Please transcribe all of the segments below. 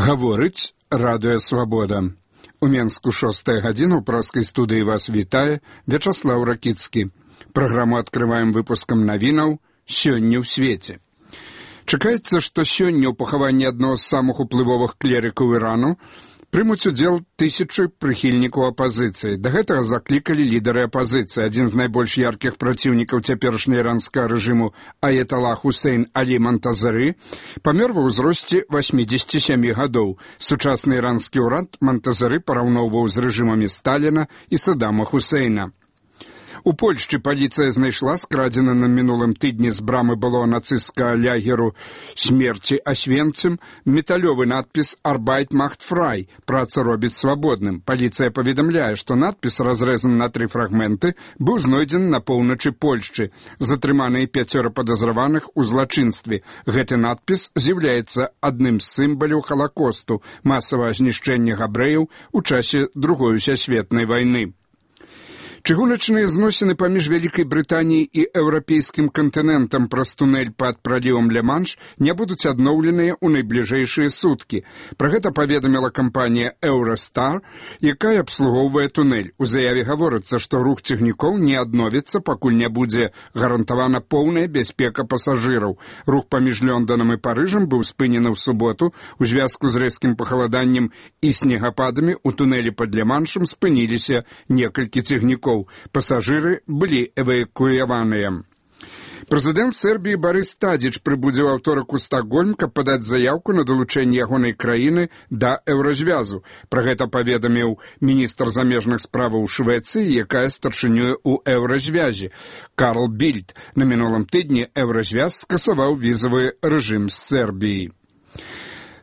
Гаворыць Радыё Свабода. У Менску 6 гадзіна ў праскай студыі вас вітае Вячаслаў Ракіцкі. Праграму адкрываем выпускам навінаў «Сёння ў свеце». Чакаецца, што сёння ў пахаванні аднаго з самых уплывовых клерыкаў Ірану прымуць удзел тысячы прыхільнікаў апазіцыі. Да гэтага заклікалі лідары апазіцыі. Адзін з найбольш яркіх праціўнікаў цяперашняга іранскага рэжыму Аяталла Хусейн Алі Монтазары памёр ва ўзросце 87 гадоў. Сучасны іранскі ўрад Монтазары параўноўваў з рэжымамі Сталіна і Саддама Хусейна. У Польшчы паліцыя знайшла скрадзены на мінулым тыдні з брамы былога нацысцкага лагеру смерці Освенцим металёвы надпіс «Arbeit macht frei» – «Праца робіць свабодным». Паліцыя паведамляе, што надпіс, разрэзаны на 3 фрагменты, быў знойдзены на поўначы Польшчы. Затрыманыя 5 падазраваных у злачынстве. Гэты надпіс з'яўляецца адным з сімваляў Халакосту – масавага знішчэння габрэяў у часе Другой сусветнай вайны. Чыгуначныя зносіны паміж Вялікай Брытаніяй і еўрапейскім кантынентам праз тунэль пад пралівам Ля-Манш не будуць адноўленыя ў найбліжэйшыя суткі. Пра гэта паведаміла кампанія «Еўрастар», якая абслугоўвае тунэль. У заяве гаворыцца, што рух цягнікоў не адновіцца, пакуль не будзе гарантавана поўная бяспека пасажыраў. Рух паміж Лёнданам і Парыжам быў спынены ў суботу. У звязку з рэзкім пахаладаннем і снегападамі ў тунэлі пад Ля-Маншам спыніліся некалькі цягнікоў. Пасажыры былі эвакуяваныя. Прэзідэнт Сербіі Барыс Тадзіч прыбудзе ў аўторак у Стакгольм, каб падаць заяўку на далучэнне ягонай краіны да еўразвязу. Пра гэта паведаміў міністр замежных справаў Швецыі, якая старшынюе ў еўразвязе. Карл Більд. На мінулым тыдні еўразвяз скасаваў візавы рэжым з Сербіі.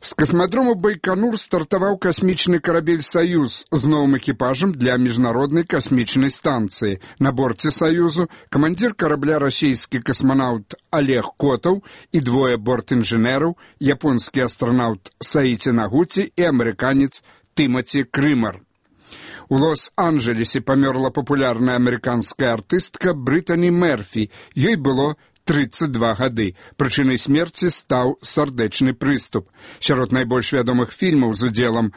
З касмадрому Байконур стартаваў касмічны карабель «Саюз» з новым экіпажам для міжнароднай касмічнай станцыі. На борце «Саюзу» камандзір карабля расійскі касманаўт Олег Котаў і 2 бортінжынераў, японскі астранаўт Саіці Нагуці і амерыканец Тымаці Крымар. У Лос-Анджелесе памёрла папулярная амерыканская артыстка Брытані Мерфі. Ёй было 32 гады. Прычынай смерці стаў сардэчны прыступ. Сярод найбольш вядомых фільмаў з удзелам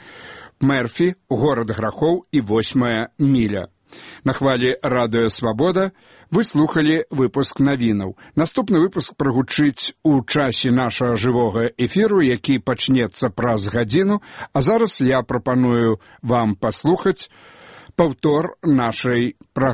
Мерфі, «Горад грахоў» і 8 міля. На хвалі Радыё Свабода вы слухалі выпуск навінаў. Наступны выпуск прагучыць у часе нашага жывога эфіру, які пачнецца праз гадзіну, а зараз я прапаную вам паслухаць паўтор нашай праграмы.